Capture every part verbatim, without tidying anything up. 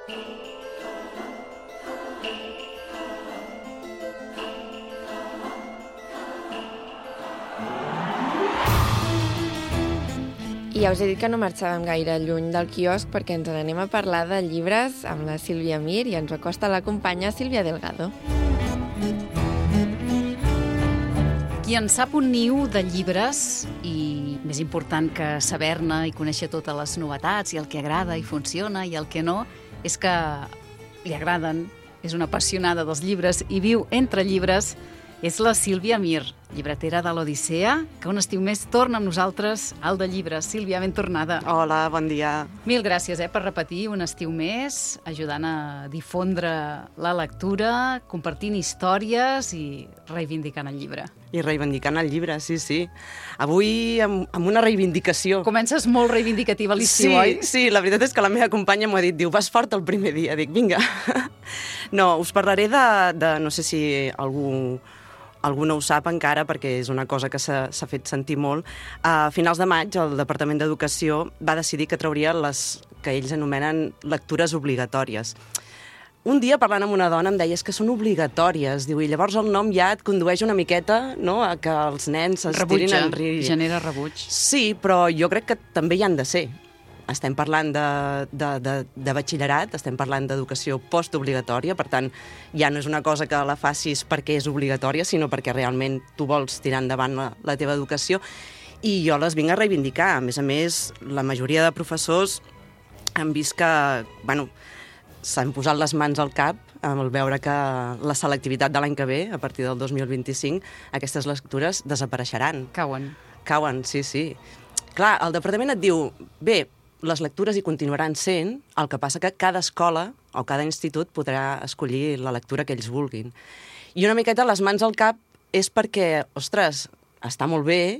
I ja us he dit que no marxàvem gaire lluny del quiosc perquè ens n'anem a parlar de llibres amb la Sílvia Mir i ens acosta la companya Sílvia Delgado. Qui en sap un niu de llibres i, més important que saber-ne i conèixer totes les novetats i el que agrada i funciona i el que no, és que li agraden, és una apassionada dels llibres i viu entre llibres, és la Sílvia Mir, llibretera de l'Odissea, que un estiu més torna amb nosaltres al de llibres. Sílvia, ben tornada. Hola, bon dia. Mil gràcies eh, per repetir un estiu més, ajudant a difondre la lectura, compartint històries i reivindicant el llibre. I reivindicant el llibre, sí, sí. Avui amb, amb una reivindicació. Comences molt reivindicativa a l'estiu, sí, oi? Sí, la veritat és que la meva companya m'ho ha dit, diu, vas fort el primer dia. Dic, vinga. No, us parlaré de, de no sé si algú... Algú no ho sap encara perquè és una cosa que s'ha fet sentir molt. A finals de maig, el Departament d'Educació va decidir que trauria les que ells anomenen lectures obligatòries. Un dia, parlant amb una dona, em deia és que són obligatòries. Diu, i llavors el nom ja et condueix una miqueta, no?, a que els nens es tirin en rir. Genera rebuig. Sí, però jo crec que també hi han de ser. Estem parlant de, de, de, de batxillerat, estem parlant d'educació postobligatòria, per tant, ja no és una cosa que la facis perquè és obligatòria, sinó perquè realment tu vols tirar endavant la, la teva educació, i jo les vinc a reivindicar. A més a més, la majoria de professors han vist que, bueno, s'han posat les mans al cap al veure que la selectivitat de l'any que ve, a partir del dos mil vint-i-cinc, aquestes lectures desapareixeran. Cauen. Cauen, sí, sí. Clar, el departament et diu, bé, les lectures hi continuaran sent, el que passa que cada escola o cada institut podrà escollir la lectura que ells vulguin. I una miqueta les mans al cap és perquè, ostres, està molt bé,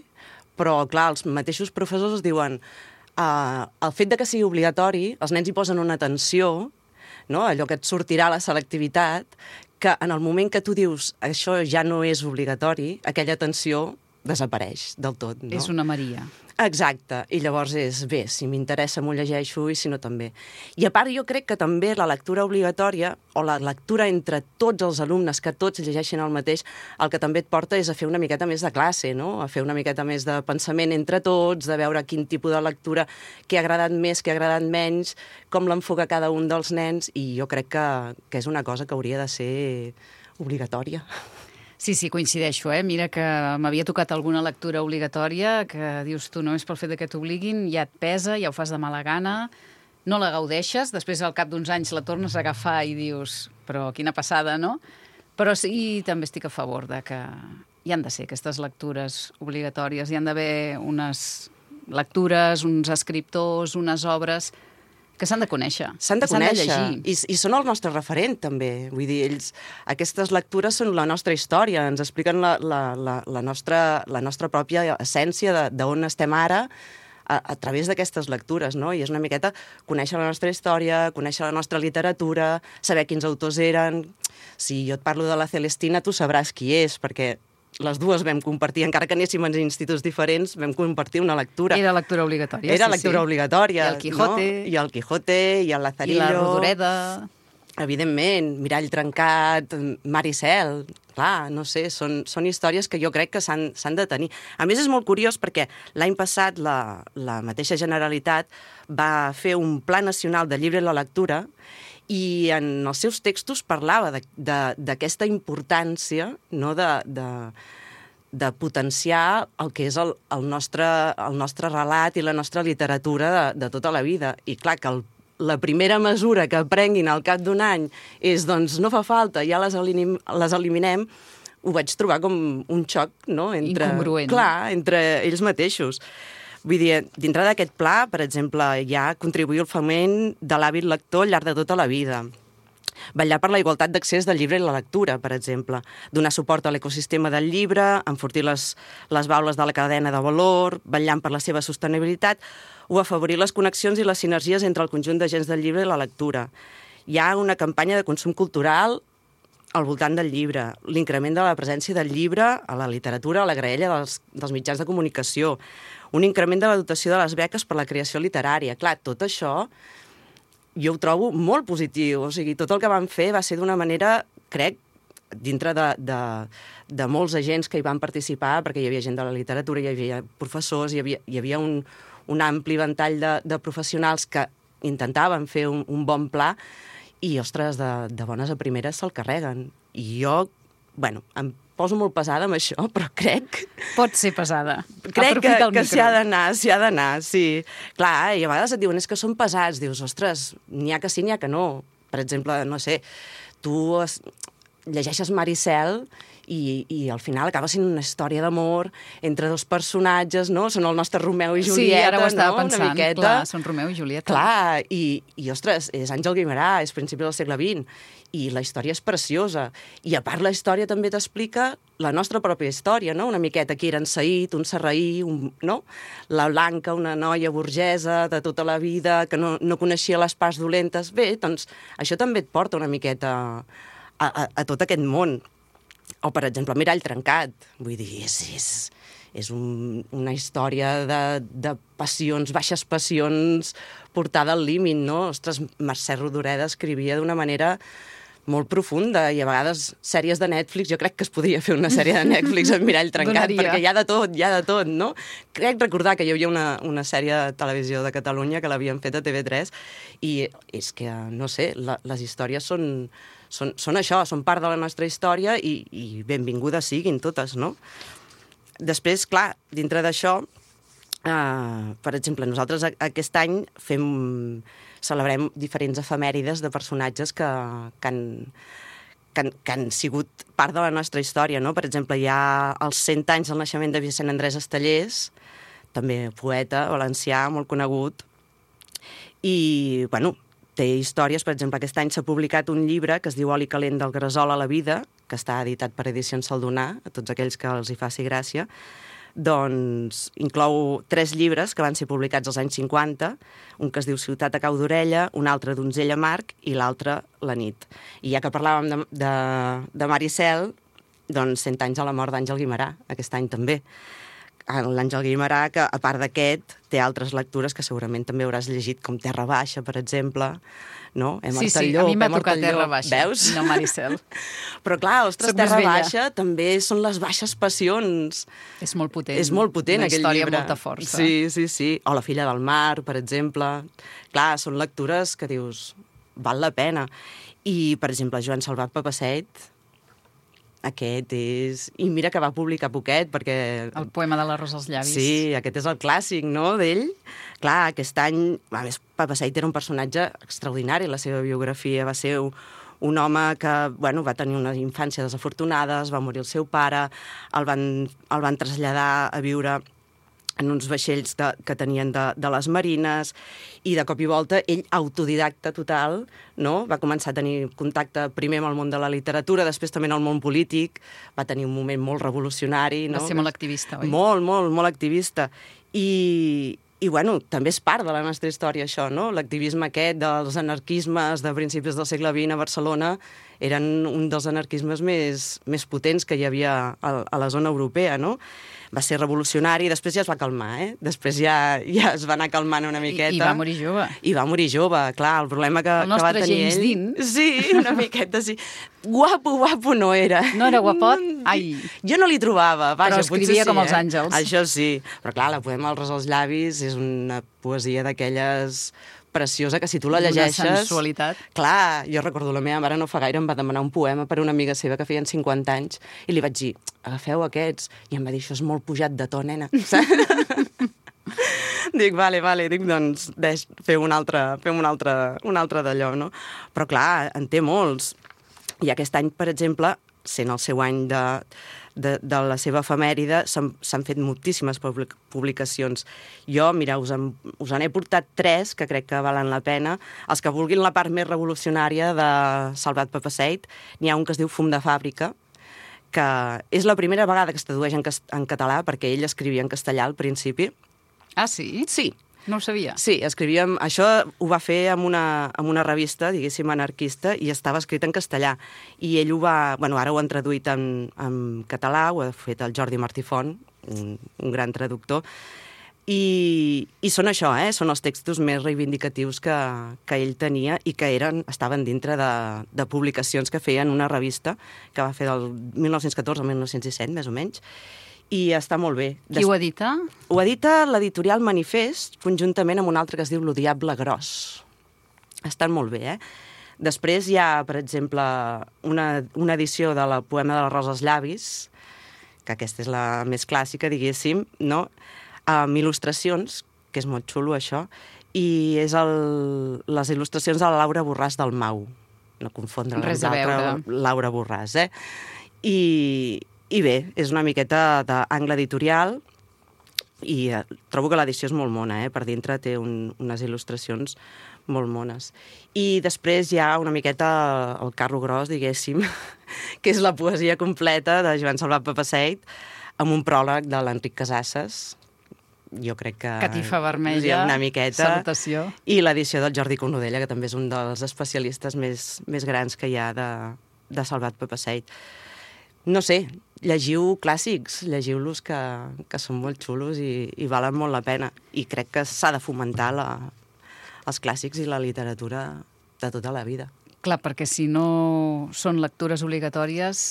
però, clar, els mateixos professors diuen uh, el fet de que sigui obligatori, els nens hi posen una atenció, no? Allò que et sortirà la selectivitat, que en el moment que tu dius això ja no és obligatori, aquella atenció desapareix del tot, no? És una Maria. Exacte, i llavors és, bé, si m'interessa m'ho llegeixo i si no també. I a part jo crec que també la lectura obligatòria o la lectura entre tots els alumnes, que tots llegeixin el mateix, el que també et porta és a fer una miqueta més de classe, no? A fer una miqueta més de pensament entre tots, de veure quin tipus de lectura, què ha agradat més, què ha agradat menys, com l'enfoca cada un dels nens, i jo crec que, que és una cosa que hauria de ser obligatòria. Sí, sí, coincideixo, eh? Mira que m'havia tocat alguna lectura obligatòria que dius tu, només pel fet que t'obliguin, ja et pesa, ja ho fas de mala gana, no la gaudeixes, després al cap d'uns anys la tornes a agafar i dius, però quina passada, no? Però sí, també estic a favor de que hi han de ser aquestes lectures obligatòries, hi han d'haver unes lectures, uns escriptors, unes obres que s'han de conèixer. S'han de conèixer, de I, i són el nostre referent, també. Vull dir, ells, aquestes lectures són la nostra història, ens expliquen la, la, la, la, nostra, la nostra pròpia essència d'on estem ara a, a través d'aquestes lectures, no? I és una miqueta conèixer la nostra història, conèixer la nostra literatura, saber quins autors eren. Si jo et parlo de la Celestina, tu sabràs qui és, perquè les dues vam compartir, encara que anéssim en instituts diferents, vam compartir una lectura. Era lectura obligatòria. Era sí, lectura sí. obligatòria. I el Quijote. No? I el Quijote, i el Lazarillo. I la Rodoreda. Evidentment, Mirall trencat, Mar i cel. Clar, no sé, són, són històries que jo crec que s'han de tenir. A més, és molt curiós perquè l'any passat la, la mateixa Generalitat va fer un Pla Nacional de Llibre i la Lectura i en els seus textos parlava d'aquesta importància, no, de, de, de potenciar el que és el, el, nostre, el nostre relat i la nostra literatura de, de tota la vida. I clar, que el, la primera mesura que prenguin al cap d'un any és, doncs, no fa falta, ja les, elim, les eliminem, ho vaig trobar com un xoc, no? Entre, incongruent. Clar, entre ells mateixos. Vull dir, dintre d'aquest pla, per exemple, hi ha contribuir al foment de l'hàbit lector al llarg de tota la vida. Vetllar per la igualtat d'accés del llibre i la lectura, per exemple. Donar suport a l'ecosistema del llibre, enfortir les, les baules de la cadena de valor, vetllant per la seva sostenibilitat, o afavorir les connexions i les sinergies entre el conjunt d'agents del llibre i la lectura. Hi ha una campanya de consum cultural al voltant del llibre, l'increment de la presència del llibre a la literatura, a la graella dels, dels mitjans de comunicació, un increment de la dotació de les beques per la creació literària. Clar, tot això, jo ho trobo molt positiu. O sigui, tot el que van fer va ser d'una manera, crec, dintre de, de, de molts agents que hi van participar, perquè hi havia gent de la literatura, hi havia professors, hi havia, hi havia un, un ampli ventall de, de professionals que intentaven fer un, un bon pla i, ostres, de, de bones a primeres se'l carreguen. I jo, bueno, em poso molt pesada amb això, però crec... Pot ser pesada. Crec que, Aprofita el que micro. s'hi ha d'anar, s'hi ha d'anar, sí. Clar, i a vegades et diuen, és que són pesats. Dius, ostres, n'hi ha que sí, n'hi ha que no. Per exemple, no sé, tu es... llegeixes Maricel i, i al final acaba sent una història d'amor entre dos personatges, no? Són el nostre Romeu i Julieta, sí, ara ho estava no? pensant. Una miqueta. Clar, són Romeu i Julieta. Clar, i, i ostres, és Àngel Guimerà, és principi del segle vint, i la història és preciosa. I a part la història també t'explica la nostra pròpia història, no? Una miqueta qui era en Saïd, un sarraí, un, no? La Blanca, una noia burgesa de tota la vida, que no, no coneixia les parts dolentes. Bé, doncs això també et porta una miqueta a, a, a tot aquest món. O, per exemple, Mirall trencat. Vull dir, és, és, és un, una història de, de passions, baixes passions, portada al límit, no? Ostres, Mercè Rodoreda escrivia d'una manera molt profunda, i a vegades sèries de Netflix, jo crec que es podria fer una sèrie de Netflix amb Mirall trencat, Donaria. perquè hi ha de tot, hi ha de tot, no? Crec recordar que hi havia una, una sèrie de televisió de Catalunya que l'havien fet a T V tres, i és que, no sé, la, les històries són, són, són això, són part de la nostra història, i, i benvingudes siguin totes, no? Després, clar, dintre d'això, eh, per exemple, nosaltres aquest any fem... celebrem diferents efemèrides de personatges que, que, han, que, han, que han sigut part de la nostra història, no? Per exemple, hi ha els cent anys del naixement de Vicent Andrés Estellés, també poeta valencià, molt conegut, i, bueno, té històries. Per exemple, aquest any s'ha publicat un llibre que es diu Oli calent del gresol a la vida, que està editat per Edicions Saldonà, a tots aquells que els hi faci gràcia. Doncs inclou tres llibres que van ser publicats als anys cinquanta, un que es diu Ciutat a cau d'orella, un altre Donzella Marc i l'altre La nit. I ja que parlàvem de, de, de Maricel, doncs cent anys a la mort d'Àngel Guimerà, aquest any també. L'Àngel Guimerà, que a part d'aquest, té altres lectures que segurament també hauràs llegit, com Terra Baixa, per exemple, no? Hem sí, mort sí, el llop, a mi m'ha hem mort tocat el Terra llop. Baixa, Veus? no Maricel. Però clar, ostres, Soc més Terra vella. Baixa també són les baixes passions. És molt potent. És molt potent, Una aquell història llibre. amb molta força. Sí, sí, sí. O La filla del mar, per exemple. Clar, són lectures que dius, val la pena. I, per exemple, Joan Salvat Papasseit, aquest és... I mira que va publicar poquet, perquè... El poema de l'arròs als llavis. Sí, aquest és el clàssic, no?, d'ell. Clar, aquest any... A més, Papasseit era un personatge extraordinari, la seva biografia va ser un home que, bueno, va tenir una infància desafortunada, es va morir el seu pare, el van, el van traslladar a viure en uns vaixells de, que tenien de, de les marines, i de cop i volta ell, autodidacta total, no? Va començar a tenir contacte primer amb el món de la literatura, després també en el món polític, va tenir un moment molt revolucionari, no? Va ser molt activista, oi? Molt, molt, molt activista. I, i bueno, també és part de la nostra història, això, no? L'activisme aquest dels anarquismes de principis del segle vint a Barcelona eren un dels anarquismes més, més potents que hi havia a, a la zona europea, no? Va ser revolucionari, després ja es va calmar, eh? Després ja, ja es va anar calmant una miqueta. I, I va morir jove. I va morir jove, clar, el problema que, el que va nostre tenir James ell... Dean. Sí, una miqueta, sí. Guapo, guapo no era. No era guapot? Ai. Jo no li trobava. Vaja, Però escrivia sí, com els eh? àngels. Això sí. Però clar, la poema El ros als llavis és una poesia d'aquelles preciosa, que si tu la llegeixes... Una sensualitat. Clar, jo recordo, la meva mare no fa gaire em va demanar un poema per una amiga seva que feien cinquanta anys, i li vaig dir, agafeu aquests, i em va dir, això és molt pujat de to, nena. Dic, vale, vale, dic, doncs, deix, feu un altre, feu un altre, un altre d'allò, no? Però clar, en té molts. I aquest any, per exemple, sent el seu any de, de, de la seva efemèride, s'han fet moltíssimes publicacions. Jo, mira, us en, us en he portat tres, que crec que valen la pena. Els que vulguin la part més revolucionària de Salvat Papasseit, n'hi ha un que es diu Fum de fàbrica, que és la primera vegada que es tradueix en, en català, perquè ell escrivia en castellà al principi. Ah, sí? Sí. No ho sabia. Sí, escrivíem... Això ho va fer amb una, amb una revista, diguéssim, anarquista, i estava escrit en castellà. I ell ho va... Bueno, ara ho han traduït en, en català, ho ha fet el Jordi Martí Font, un, un gran traductor. I, i són això, eh? Són els textos més reivindicatius que, que ell tenia i que eren, estaven dintre de, de publicacions que feien una revista que va fer del mil nou-cents catorze al mil nou-cents disset, més o menys, i està molt bé. Qui Des... ho edita? Ho edita l'editorial Manifest, conjuntament amb un altre que es diu Lo Diable Gros. Estan molt bé, eh? Després hi ha, per exemple, una, una edició de la poema de la Rosa als llavis, que aquesta és la més clàssica, diguéssim, no?, amb il·lustracions, que és molt xulo això, i és el, les il·lustracions de la Laura Borràs del Mau. No confondre res a veure. Laura Borràs, eh? I, I bé, és una miqueta d'angle editorial i eh, trobo que l'edició és molt mona, eh? Per dintre té un, unes il·lustracions molt mones. I després hi ha una miqueta el carro gros, diguéssim, que és la poesia completa de Joan Salvat Papasseit, amb un pròleg de l'Enric Casasses, jo crec que... Catifa vermella, una miqueta, salutació. I l'edició del Jordi Cornudella, que també és un dels especialistes més, més grans que hi ha de, de Salvat Papasseit. No sé, llegiu clàssics, llegiu-los que, que són molt xulos i, i valen molt la pena. I crec que s'ha de fomentar la, els clàssics i la literatura de tota la vida. Clar, perquè si no són lectures obligatòries,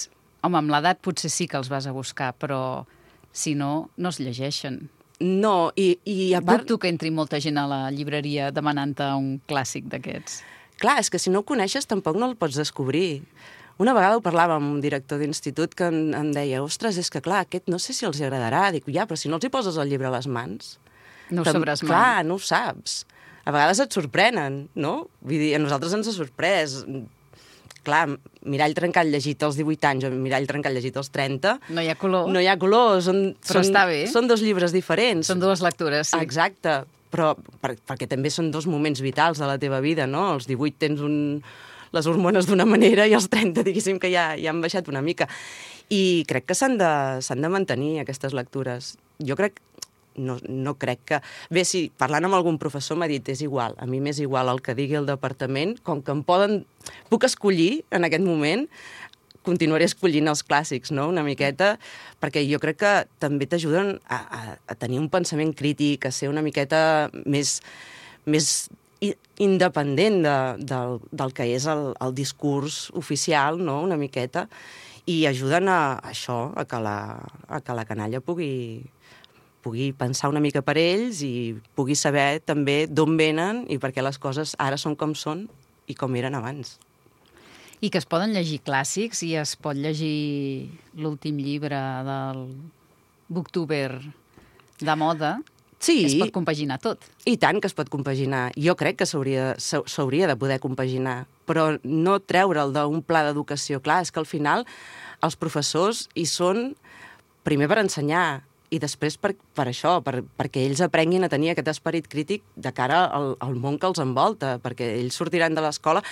home, amb l'edat potser sí que els vas a buscar, però si no, no es llegeixen. No, i, i a part... Dubto que entri molta gent a la llibreria demanant-te un clàssic d'aquests. Clar, és que si no ho coneixes tampoc no el pots descobrir. Una vegada ho parlava amb un director d'institut que em, em deia, ostres, és que clar, aquest no sé si els agradarà. Dic, ja, però si no els hi poses el llibre a les mans... No ho sabràs mai. Clar, no ho saps. A vegades et sorprenen, no? Vull dir, a nosaltres ens ha sorprès. Clar, Mirall trencat llegit als divuit anys o Mirall trencat llegit als trenta... No hi ha color. No hi ha color. Són, però són, està bé. Són dos llibres diferents. Són dues lectures, sí. Exacte. Però per, perquè també són dos moments vitals de la teva vida, no? Als divuit tens un, les hormones d'una manera i als trenta, diguéssim, que ja, ja han baixat una mica. I crec que s'han de, s'han de mantenir aquestes lectures. Jo crec... No, no crec que... Bé, si parlant amb algun professor m'ha dit és igual, a mi m'és igual el que digui el departament, com que em poden... Puc escollir en aquest moment, continuaré escollint els clàssics, no?, una miqueta, perquè jo crec que també t'ajuden a, a, a tenir un pensament crític, a ser una miqueta més, més independent de, del, del que és el, el discurs oficial, no?, una miqueta, i ajuden a, a això, a que la, a que la canalla pugui... pugui pensar una mica per ells i pugui saber també d'on venen i per què les coses ara són com són i com eren abans. I que es poden llegir clàssics i es pot llegir l'últim llibre del Booktuber de moda. Sí. Es pot compaginar tot. I tant que es pot compaginar. Jo crec que s'hauria s'hauria de poder compaginar, però no treure'l d'un pla d'educació. Clar, és que al final els professors hi són primer per ensenyar i després per, per això, per, perquè ells aprenguin a tenir aquest esperit crític de cara al, al món que els envolta, perquè ells sortiran de l'escola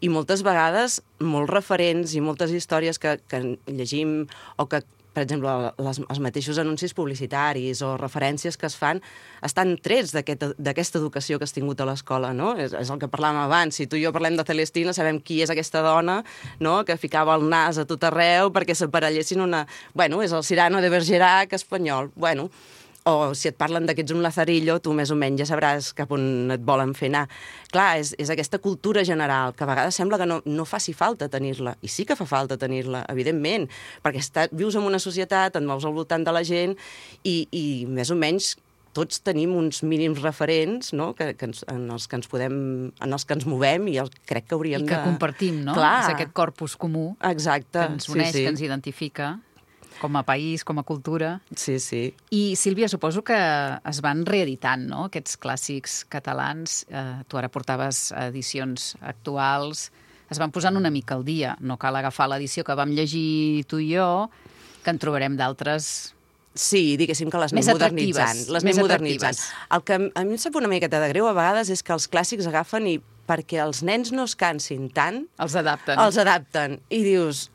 i moltes vegades molts referents i moltes històries que, que llegim o que, per exemple, les, els mateixos anuncis publicitaris o referències que es fan estan trets d'aquesta aquest, educació que has tingut a l'escola, no? És, és el que parlàvem abans. Si tu i jo parlem de Celestina, sabem qui és aquesta dona, no?, que ficava el nas a tot arreu perquè s'aparellessin una... Bueno, és el Cyrano de Bergerac espanyol. Bueno, o si et parlen de que ets un lazarillo, tu més o menys ja sabràs cap on et volen fer anar. Clar, és, és aquesta cultura general, que a vegades sembla que no, no faci falta tenir-la, i sí que fa falta tenir-la, evidentment, perquè està, vius en una societat, et mous al voltant de la gent, i, i més o menys tots tenim uns mínims referents, no?, que, que ens, en, els que ens podem, en els que ens movem, i el, crec que hauríem de... I que de... compartim, no? Clar. És aquest corpus comú. Exacte. Que ens uneix, sí, sí. que ens identifica com a país, com a cultura. Sí, sí. I, Sílvia, suposo que es van reeditant, no?, aquests clàssics catalans. Eh, tu ara portaves edicions actuals. Es van posant una mica al dia. No cal agafar l'edició que vam llegir tu i jo, que en trobarem d'altres... Sí, diguéssim que les més anem modernitzant. Les més anem modernitzant. El que a mi em sap una miqueta de greu a vegades és que els clàssics agafen i perquè els nens no es cansin tant... Els adapten. Els adapten. I dius,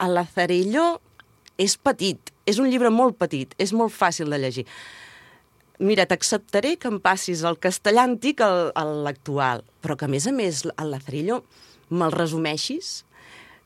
el Lazarillo és petit, és un llibre molt petit, és molt fàcil de llegir. Mira, t'acceptaré que em passis el castellà antic a l'actual, però que a més a més el Lazarillo me'l resumeixis.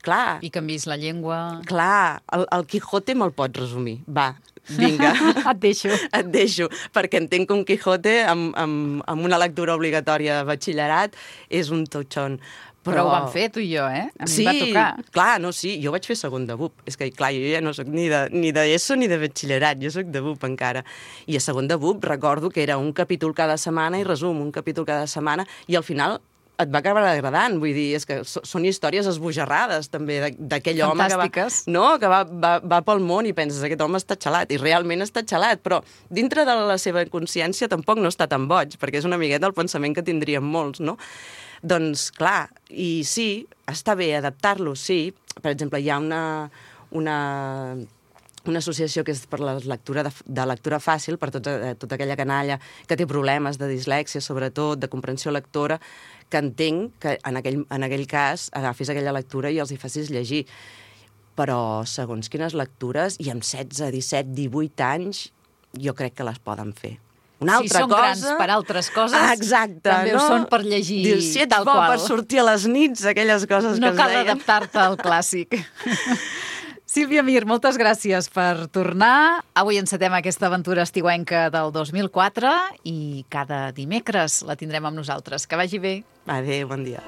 Clar. I canvis la llengua. Clar, el, el Quijote me'l pots resumir, va. vinga. Et deixo. Et deixo, perquè entenc que un Quijote amb, amb, amb una lectura obligatòria de batxillerat és un totxon. Però... Però ho vam fer, tu i jo, eh? A mi sí, em va tocar. clar, no, sí, jo vaig fer segon de B U P. És que, clar, jo ja no soc ni de, ni de ESO ni de batxillerat, jo soc de B U P encara. I a segon de B U P recordo que era un capítol cada setmana i resum, un capítol cada setmana, i al final et va acabar agradant, vull dir, és que són històries esbojarrades, també, d'aquell home que, va, no, que va, va, va pel món i penses, aquest home està xalat, i realment està xalat, però dintre de la seva consciència tampoc no està tan boig, perquè és una miqueta el pensament que tindríem molts, no? Doncs, clar, i sí, està bé adaptar-lo, sí. Per exemple, hi ha una, una, una associació que és per la lectura de, de lectura fàcil, per tota, tota aquella canalla que té problemes de dislèxia, sobretot, de comprensió lectora, que entenc que en aquell, en aquell cas agafis aquella lectura i els hi facis llegir. Però, segons quines lectures, i amb setze, disset, divuit anys, jo crec que les poden fer. Una altra si són cosa... grans per altres coses, ah, exacte, també no? ho són per llegir Dius, si ets tal bo qual. per sortir a les nits, aquelles coses no que es deien... No cal adaptar-te al clàssic. Sílvia Mir, moltes gràcies per tornar. Avui encetem aquesta aventura estiuenca del dos mil quatre i cada dimecres la tindrem amb nosaltres. Que vagi bé. Adéu, bon dia.